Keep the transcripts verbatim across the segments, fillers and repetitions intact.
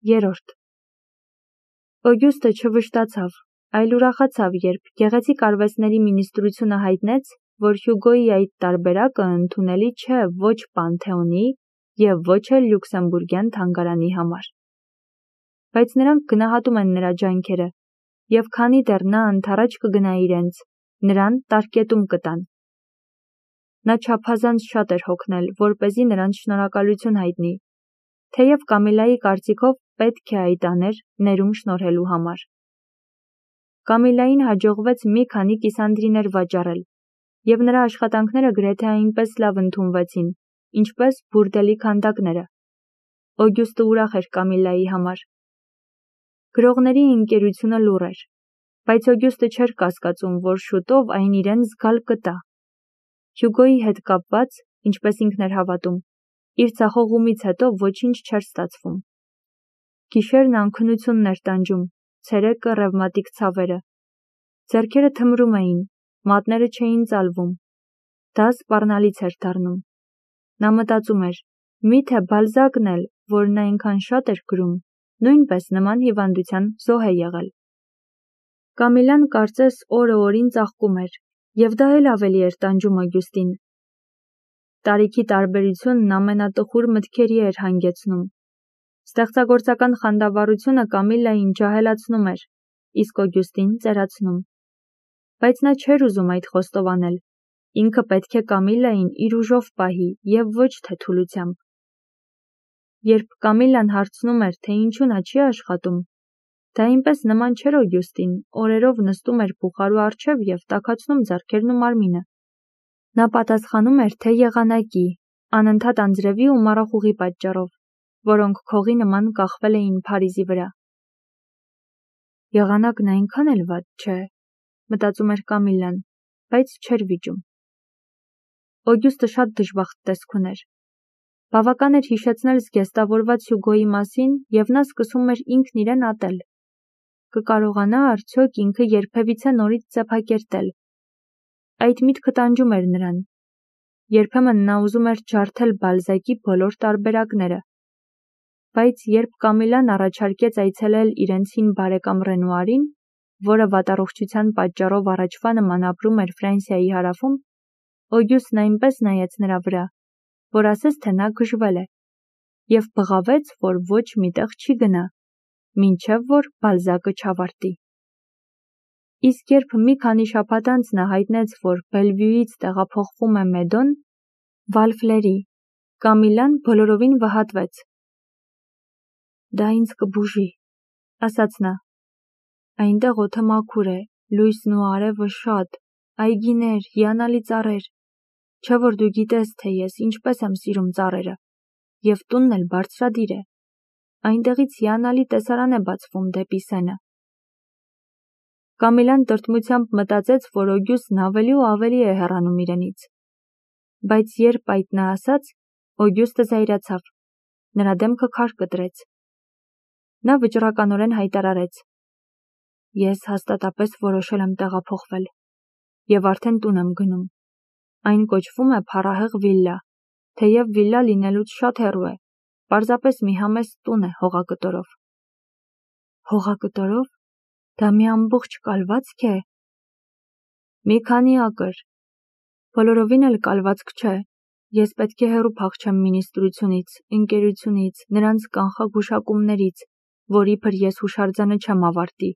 Երորդ Օգյուստը չվշտացավ, այլ ուրախացավ, երբ գեղեցիկ արվեստների մինիստրությունը հայտնեց, որ Հյուգոյի այդ տարբերակը ընդունելի չէ ոչ Պանթեոնի և ոչ էլ Լյուքսեմբուրգյան թանգարանի համար։ Բայց նրանք գնահատում են նրա ջանքերը, և քանի դեռ նա ընդառաջ կգնա իրենց, նրան տարկետում կտան։ Նա չափազանց շատ էր հոգնել, որպեսզի նրանց շնորհակալություն հայտնի, թեև Կամիլայի կարծիքով պետք է այդ աներ ներում շնորհելու համար։ Կամիլային հաջողվեց մի քանի կիսանդրիներ վաճառել, և նրա աշխատանքները գրեթե այնպես լավ ընդունվեցին, ինչպես բուրդելի քանդակները։ Օգյուստը ուրախ էր Կամիլայի համար։ Գրողների ընկերությունը լուռ էր, բայց Օգյուստը չէր կասկածում, որ շուտով այն իրեն զգալ կտա։ Հյուգոյի հետ կապված, ինչպես ինքն էր հավատում, իր ձախողումից հետո ոչինչ չէր ստացվում։ Գիշերն անքնությունն էր տանջում, ցերեկը ռևմատիկ ցավերը։ Ձեռքերը թմրում էին, մատները չէին ծալվում։ Դա սպառնալից էր դառնում։ Նա մտածում էր, միթե Բալզակն էլ, որն այնքան շատ էր գրում, նույնպես նման հիվանդության զոհ է եղել։ Կամիլան կարծես օրը օրին ծաղկում էր, և դա էլ ավելի էր տանջում Օգյուստին։ Տարիքի տարբերությունն ամենատխուր մտքերի էր հանգեցնում։ Ստեղծագործական խանդավառությունը Կամիլային ջահելացնում էր, իսկ Օգյուստին ծերացնում։ Բայց նա չէր ուզում այդ խոստովանել, ինքը պետք է Կամիլային իր ուժով պահի և ոչ թե թուլությամբ։ Երբ Կամիլան հարցնում էր, թե ինչու նա չի աշխատում, դա այնպես նման չէր Օգյուստին, օրերով նստում էր բուխարու առջև և տաքացնում ձեռքերն ու մարմինը։ Նա պատասխանում էր, թե եղանակի, անընդհատ անձրևի ու մառախուղի պատճառով, որոնք քողի նման կախվել էին Փարիզի վրա։ Եղանակն այնքան էլ վատ չէ, մտածում էր Կամիլան, բայց չէր վիճում։ Օգյուստը շատ դժբախտ տեսք ուներ։ Բավական էր հիշեցնել զգեստավորված Հյուգոյի մասին, և նա սկսում էր ինքն իրեն ատել։ Կկարողանա արդյոք ինքը երբևիցե նորից ծեփակերտել։ Այդ միտքը տանջում էր նրան։ Երբեմն նա ուզում էր ջարդել Բալզակի բոլոր տարբերակները։ Բայց երբ Կամիլան առաջարկեց այցելել իրենց հին բարեկամ Ռենուարին, որը վատառողջության պատճառով առաջվա նման ապրում էր Ֆրանսիայի հարավում, Օգյուստն այնպես նայեց նրա վրա, որ ասես թե նա գժվել է, և բղավեց, որ ոչ մի տեղ չի գնա, մինչև որ Բալզակը չավարտի։ Իսկ երբ մի քանի շաբաթ անց նա հայտնեց, որ Բելվյուից տեղափոխվում է Մեդոն, Վալֆլերի, Կամիլան բոլորովին վհատվեց։ «Դա ինձ կբուժի», ասաց նա։ «Այնտեղ օդը մաքուր է, լույսն ու արևը շատ, այգիներ, հիանալի ծառեր։ Չէ՞ որ դու գիտես, թե ես ինչպես եմ սիրում ծառերը, և տունն էլ բարձրադիր է։ Այնտեղից հիանալի տեսարան է բացվում դեպի Սենը»։ Կամիլան տրտմությամբ մտածեց, որ Օգյուստն ավելի ու ավելի է հեռանում իրենից։ Բայց երբ այդ նա ասաց, Օգյուստը զայրացավ, նրա դեմքը քար կտրեց։ Նա վճռականորեն հայտարարեց. «Ես հաստատապես որոշել եմ տեղափոխվել, և արդեն տուն եմ գնում։ Այն կոչվում է Փառահեղ վիլլա, թեև վիլլա լինելուց շատ հեռու է, պարզապես մի համեստ տուն է հողակտորով»։ «Հողակտորով? Դա մի ամբողջ կալվածք է»։ «Մի քանի ակր։ Բոլորովին էլ կալվածք չէ։ Ես պետք է հեռու փախչեմ մինիստրությունից, ընկերությունից, նրանց կանխագուշակումներից, որ իբր ես հուշարձանը չեմ ավարտի,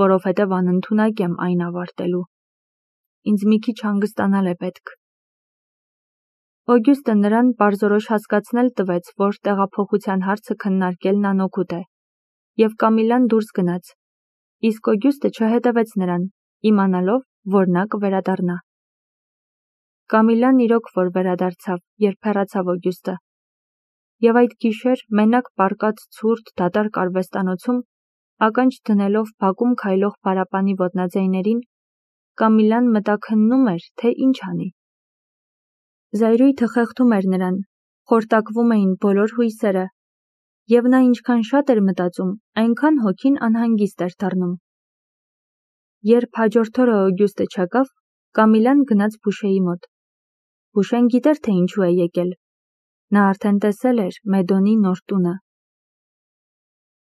որովհետև անընդունակ եմ այն ավարտելու։ Ինձ մի քիչ հանգստանալ է պետք»։ Օգյուստը նրան պարզորոշ հասկացնել տվեց, որ տեղափոխության հարցը քննարկելն անօգուտ է, և Կամիլան դուրս գնաց, իսկ Օգյուստը չհետևեց նրան, իմանալով, որ նա կվերադառնա։ Կամիլան իրոք որ վերադարձավ, երբ հեռացավ Օգյուստը։ Եվ այդ գիշեր, մենակ պառկած ցուրտ, դատարկ արվեստանոցում, ականջ դնելով բակում քայլող պարապանի ոտնաձայներին, Կամիլան մտաքննում էր, թե ինչ անի։ Զայրույթը խեղդում էր նրան, խորտակվում էին բոլոր հույսերը, և նա ինչքան շատ էր մտածում, այնքան հոգին անհանգիստ էր դառնում։ Երբ հաջորդ օրը Օգյուստը չեկավ, Կամիլան գնաց Բուշեի մոտ։ Բուշեն գիտեր, թե ինչու է եկել։ Նա արդեն տեսել էր Մեդոնի նոր տունը։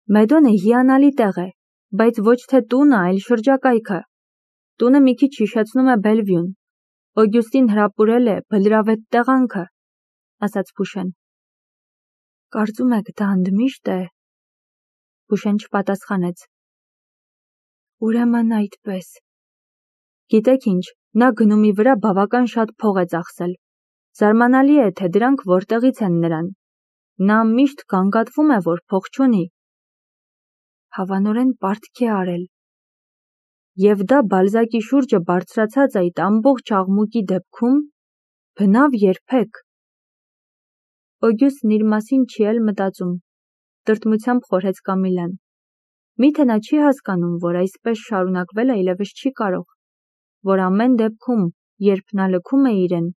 Մեդոնը հիանալի տեղ է, բայց ոչ թե տունը, այլ շրջակայքը։ Տունը մի քիչ հիշեցնում է Բելվյուն։ Օգյուստին հրապուրել է բլրավետ տեղանքը, ասաց Փուշեն։ Կարծում եք դա ընդմիշտ է։ Փուշեն չպատասխանեց։ Ուրեմն այդպես։ Գիտեք ինչ, նա գնումի վրա բավական շատ փող է ծախսել։ Զարմանալի է, թե դրանք որտեղից են նրան։ Նա միշտ գանգատվում է, որ փող չունի։ Հավանորեն պարտքի արել։ Եվ դա Բալզակի շուրջը բարձրացած այդ ամբողջ աղմուկի դեպքում բնավ երբեք։ Օգյուստն իր մասին չի էլ մտածում, տրտմությամբ խորհեց Կամիլան։ Միթե նա չի հասկանում, որ այսպես շարունակվել այլևս չի կարող, որ ամեն դեպքում, երբ նա լքում է իրեն,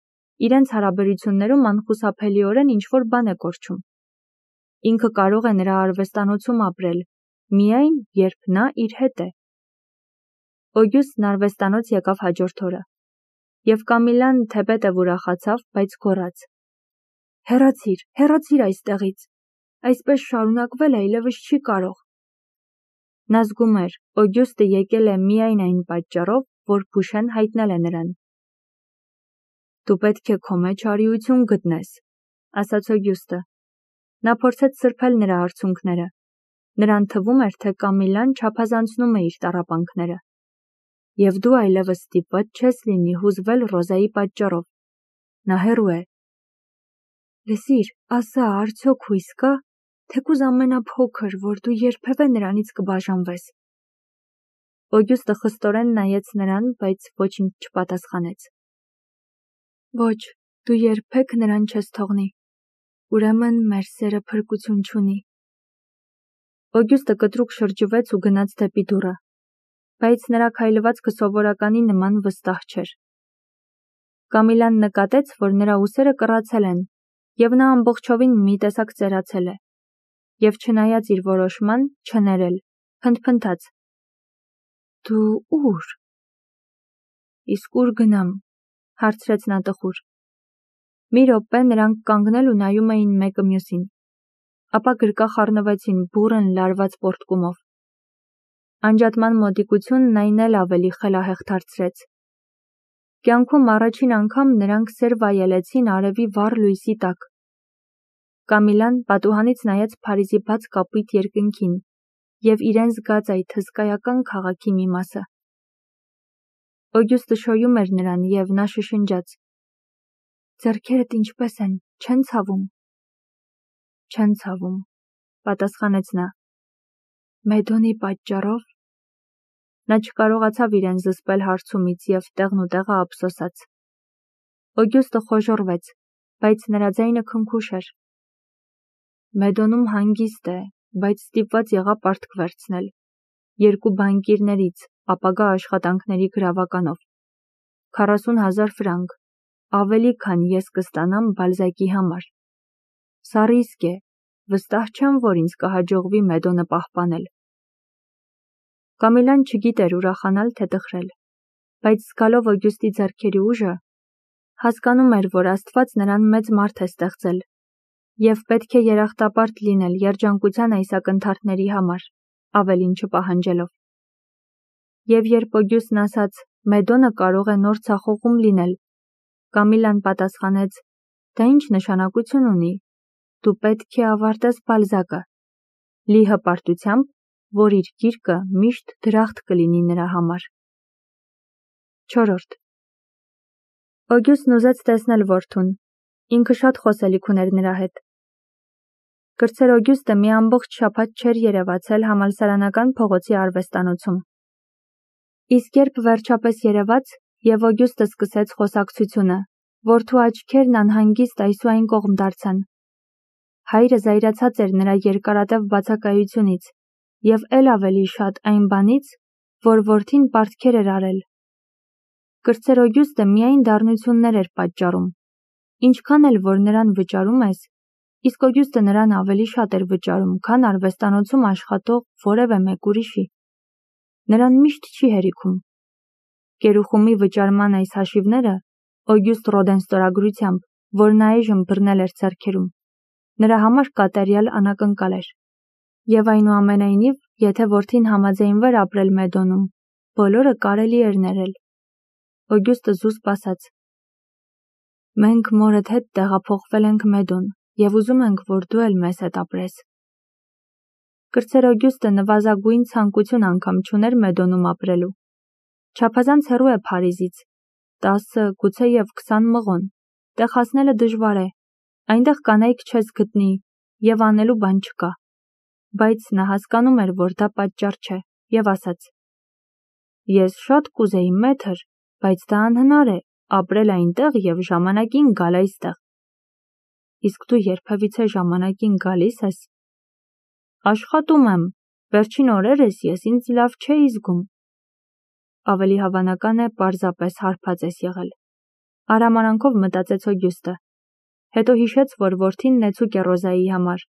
իրենց հարաբերություններում անխուսափելիորեն ինչ-որ բան է կորչում։ Ինքը կարող է նրա արվեստանոցում ապրել, միայն երբ նա իր հետ է։ Օգյուստն արվեստանոց եկավ հաջորդ օրը, և Կամիլան թեպետև ուրախացավ, բայց գոռաց. Հեռացիր, հեռացիր այստեղից, այսպես շարունակվել այլևս չի կարող։ Նա զգում էր, Օգյուստը եկել է միայն այն պատճառով, որ Փուշեն հայտնել է նրան։ Դու պետք է քո մեջ արիություն գտնես, ասաց Օգյուստը։ Նա փորձեց սրբել նրա արցունքները։ Նրան թվում էր, թե Կամիլան չափազանցնում է իր տառապանքները։ Եվ դու այլևս ստիպված չես լինի հուզվել Ռոզայի պատճառով։ Նա հեռու է։ Լսիր, ասա, արդյոք հույս կա, թեկուզ ամենափոքր, որ դու երբևէ նրանից կբաժանվես։ Օգյուստը խստորեն նայեց նրան, բայց ոչինչ չպատասխանեց։ Ոչ, դու երբեք նրան չես թողնի։ Ուրեմն մեր սերը փրկություն չունի։ Օգյուստը կտրուկ շրջվեց ու գնաց դեպի դուռը, բայց նրա քայլվածքը սովորականի նման վստահ չէր։ Կամիլան նկատեց, որ նրա ուսերը կռացել են, և նա ամբողջովին մի տեսակ ծերացել է, և չնայած իր որոշման, չներել, փնթփնթաց. Դու ուր։ Իսկ ուր գնամ, հարցրեց նա տխուր։ Մի րոպե նրանք կանգնել ու նայում էին մեկը մյուսին, ապա գրկախ առնվեցին բուռն լարված պոռթկումով։ Անջատման մոտիկությունն այն էլ ավելի խելահեղ դարձրեց։ Կյանքում առաջին անգամ նրանք սեր վայելեցին արևի վառ լույսի տակ։ Կամիլան պատուհանից նայեց Փարիզի բաց կապույտ երկնքին և իրեն զգաց այդ հսկայական քաղաքի մի մասը։ Օգյուստը շոյում էր նրան, և նա շշնջաց. Ձեռքերդ ինչպես են, չեն ցավում։ Չեն ցավում, պատասխանեց նա։ Մեդոնի պատճառով։ Նա չկարողացավ իրեն զսպել հարցումից և տեղնուտեղը ափսոսաց։ Օգյուստը խոժոռվեց, բայց նրա ձայնը քնքուշ էր։ Մեդոնում հանգիստ է, բայց ստիպված եղա պարտք վերցնել։ Երկու բանկիրներից, ապագա աշխատանքների գրավականով։ Քառասուն հազար ֆրանկ, ավելի քան ես կստանամ Բալզակի համար։ Սա ռիսկ է, վստահ չեմ, որ ինձ կհաջողվի Մեդոնը պահպանել։ Կամիլան չգիտեր ուրախանալ, թե տխրել, բայց զգալով Օգյուստի ձեռքերի ուժը, հասկանում էր, որ Աստված նրան մեծ մարդ է ստեղծել, և պետք է երախտապարտ լինել երջանկության այս ակնթարթների համար, ավելին չպահանջելով։ Եվ երբ Օգյուստն ասաց. Մեդոնը կարող է նոր ցախողում լինել, Կամիլան պատասխանեց. Դա ինչ նշանակություն ունի։ Դու պետք է ավարտես Բալզակը, լի հպարտությամբ, որ իր գիրկը միշտ դրախտ կլինի նրա համար։ Չորրորդ Օգյուստն ուզեց տեսնել որդուն։ Ինքը շատ խոսելիք ուներ նրա հետ։ Կրտսեր Օգյուստը մի ամբողջ շաբաթ չէր երևացել համալսարանական փողոցի արվեստանոցում։ Իսկ երբ վերջապես երևաց, և Օգյուստը սկսեց խոսակցությունը, որդու աչքերն անհանգիստ այս ու այն կողմ դարձան։ Հայրը զայրացած էր նրա երկարատև բացակայությունից և էլ ավելի շատ այն բանից, որ որդին պարտքեր էր արել։ Կրտսեր Օգյուստը միայն դառնություններ էր պատճառում։ Ինչքան էլ որ նրան վճարում ես, իսկ Օգյուստը նրան ավելի շատ էր վճարում, քան արվեստանոցում աշխատող որևէ մեկ ուրիշի։ Նրան միշտ չի հերիքում։ Գերուխումի վճարման այս հաշիվները Օգյուստ Ռոդեն ստորագրությամբ, որ նա այժմ բռնել էր ձեռքերում, նրա համար կատարյալ անակնկալ էր։ Եվ այնուամենայնիվ, եթե որդին համաձայնվեր ապրել Մեդոնում, բոլորը կարելի էր ներել։ Օգյուստը զուսպ ասաց. «Մենք մորդ հետ տեղափոխվել ենք Մեդոն և ուզում ենք, որ դու էլ մեզ հետ ապրես»։ Կրտսեր Օգյուստը նվազագույն ցանկություն անգամ չուներ Մեդոնում ապրելու։ Չափազանց հեռու է Փարիզից, տասը, գուցեև քսան մղոն, տեղ հասնելը դժվար է, այնտեղ կանայք չես գտնի և անելու բան չկա։ Բայց նա հասկանում էր, որ դա պատճառ չէ, և ասաց. «Ես շատ կուզեի մեթր, բայց դա անհնար է, ապրել այնտեղ և ժամանակին գալ այստեղ»։ Իսկ դու երբևիցե ժամանակին գալի՞ս ես։ Աշխատում եմ, վերջին օրերս ես ինձ լավ չէի զգում։ Ավելի հավանական է, պարզապես հարբած ես եղել, արհամարանքով մտածեց Օգյուստը։ Հետո հիշեց, որ որդին նեցուկ է Ռոզայի համար,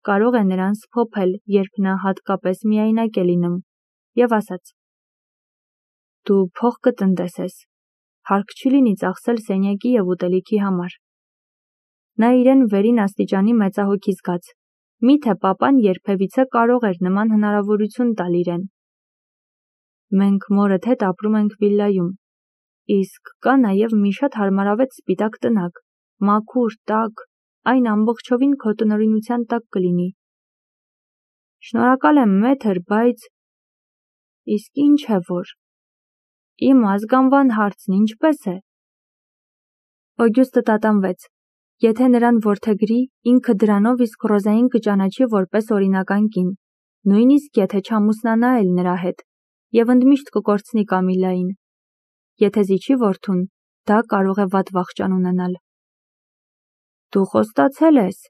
կարող է նրան սփոփել, երբ նա հատկապես միայնակ է լինում, և ասաց. «Դու փող կտնտեսես, հարկ չի լինի ծախսել սենյակի և ուտելիքի համար»։ Նա իրեն վերին աստիճանի մեծահոգի զգաց, միթե պապան երբևիցե կարող էր նման հնարավորություն տալ իրեն։ «Մենք մորդ հետ ապրում ենք վիլայում, իսկ կա նաև մի շատ հարմարավետ սպիտակ տնակ, մաքուր, տաք, այն ամբողջովին քո տնօրինության տակ կլինի»։ Շնորհակալ եմ մեթր, բայց… Իսկ ինչ է որ… Իմ ազգանվան հարցն ինչպե՞ս է։ Օգյուստը տատանվեց։ Եթե նրան որդեգրի, ինքը դրանով իսկ Ռոզային կճանաչի որպես օրինական կին, նույնիսկ եթե չամուսնանա էլ նրա հետ, և ընդմիշտ կկորցնի Կամիլային։ Եթե զիջի որդուն, դա կարող է վատ վախճան ունենալ։ Դու խոստացել ես։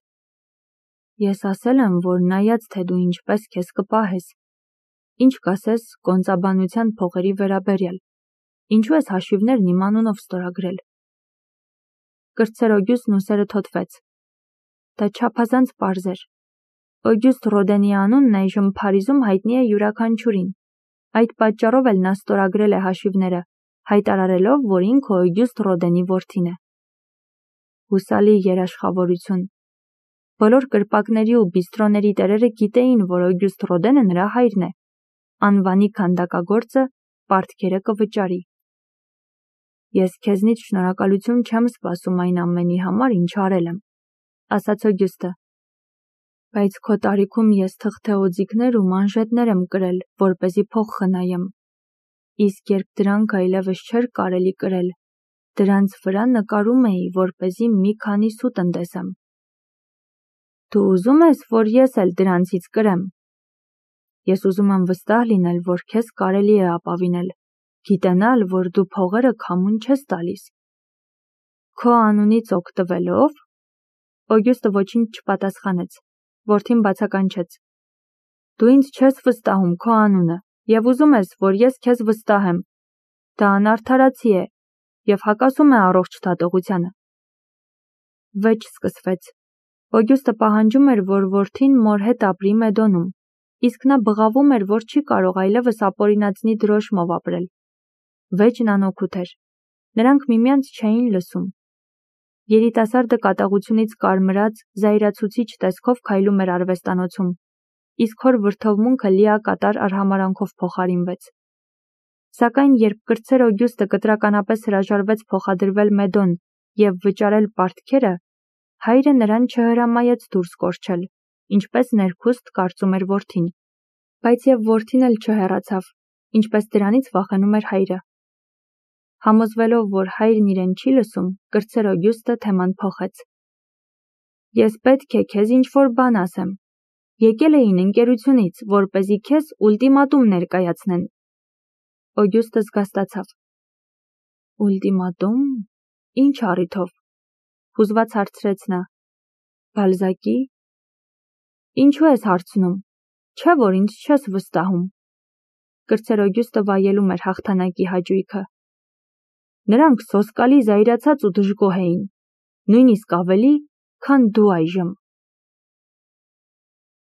Ես ասել եմ, որ նայած թե դու ինչպես քեզ կպահես, ինչ կասես կոնծաբանության փողերի վերաբերյալ, ինչու ես հաշիվներն իմ անունով ստորագրել։ Կրտսեր Օգյուստն ուսերը թոթվեց։ Դա չափազանց պարզ էր։ Օգյուստ Ռոդենի անունն այժմ Փարիզում հայտնի է յուրաքանչյուրին։ Այդ պատճառով էլ նա ստորագրել է հաշիվները, հայտարարելով, որ ինքը Օգյուստ Ռոդենի որդին է։ Հուսալի երաշխավորություն։ Բոլոր կրպակների ու բիստրոների տերերը գիտեին, որ Օգյուստ Ռոդենը նրա հայրն է։ Անվանի քանդակագործը պարտքերը կվճարի։ Ես քեզնից շնորհակալություն չեմ սպասում այն ամենի համար, ինչ արել եմ, ասաց Օգյուստը։ Բայց քո տարիքում ես թղթեօձիքներ ու մանժետներ եմ կրել, որպեսզի փող խնայեմ։ Իսկ երբ դրանք այլևս չէր կարելի կրել, դրանց վրա նկարում էի, որպեսզի մի քանի սու տնտեսեմ։ Դու ուզում ես, որ ես էլ դրանցից կրեմ։ Ես ուզում եմ վստահ լինել, որ քեզ կարելի է ապավինել, գիտենալ, որ դու փողերը քամուն չես տալիս։ Քո անունից օգտվելով… Օգյուստը ոչինչ չպատասխանեց։ Որդին բացականչեց. Դու ինձ չես վստահում քո անունը և ուզում ես, որ ես քեզ վստահեմ։ Դա անարդարացի է և հակասում է առողջ դատողությանը։ Վեճ սկսվեց։ Օգյուստը պահանջում էր, որ որդին մոր հետ ապրի Մեդոնում, իսկ նա բղավում էր, որ չի կարող այլևս ապօրինածնի դրոշմով ապրել։ Վեճն անօգուտ էր։ Նրանք միմյանց չէին լսում։ Երիտասարդը կատաղությունից կարմրած, զայրացուցիչ տեսքով քայլում էր արվեստանոցում, իսկ հոր վրդովմունքը լիակատար արհամարանքով փոխարինվեց։ Սակայն երբ կրտսեր Օգյուստը կտրականապես հրաժարվեց փոխադրվել Մեդոն և վճարել պարտքերը, հայրը նրան չհրամայեց դուրս կորչել, ինչպես ներքուստ կարծում էր որդին։ Բայց և որդին էլ չհեռացավ, ինչպես դրանից վախենում էր հայրը։ Համոզվելով, որ հայրն իրեն չի լսում, կրտսեր Օգյուստը թեման փոխեց։ Ես պետք է քեզ ինչ-որ բան ասեմ։ Եկել էին ընկերությունից, որպեսզի քեզ ուլտիմատում ներկայացնեն։ Օգյուստը զգաստացավ։ Ուլտիմատում… Ինչ առիթով։ Հուզված հարցրեց նա։ Բալզակի… Ինչու ես հարցնում, չէ՞ որ ինձ չես վստահում։ Կրտսեր Օգյուստը վայելում էր հաղթանակի հաճույքը։ Նրանք սոսկալի զայրացած ու դժգոհ էին, նույնիսկ ավելի, քան դու այժմ։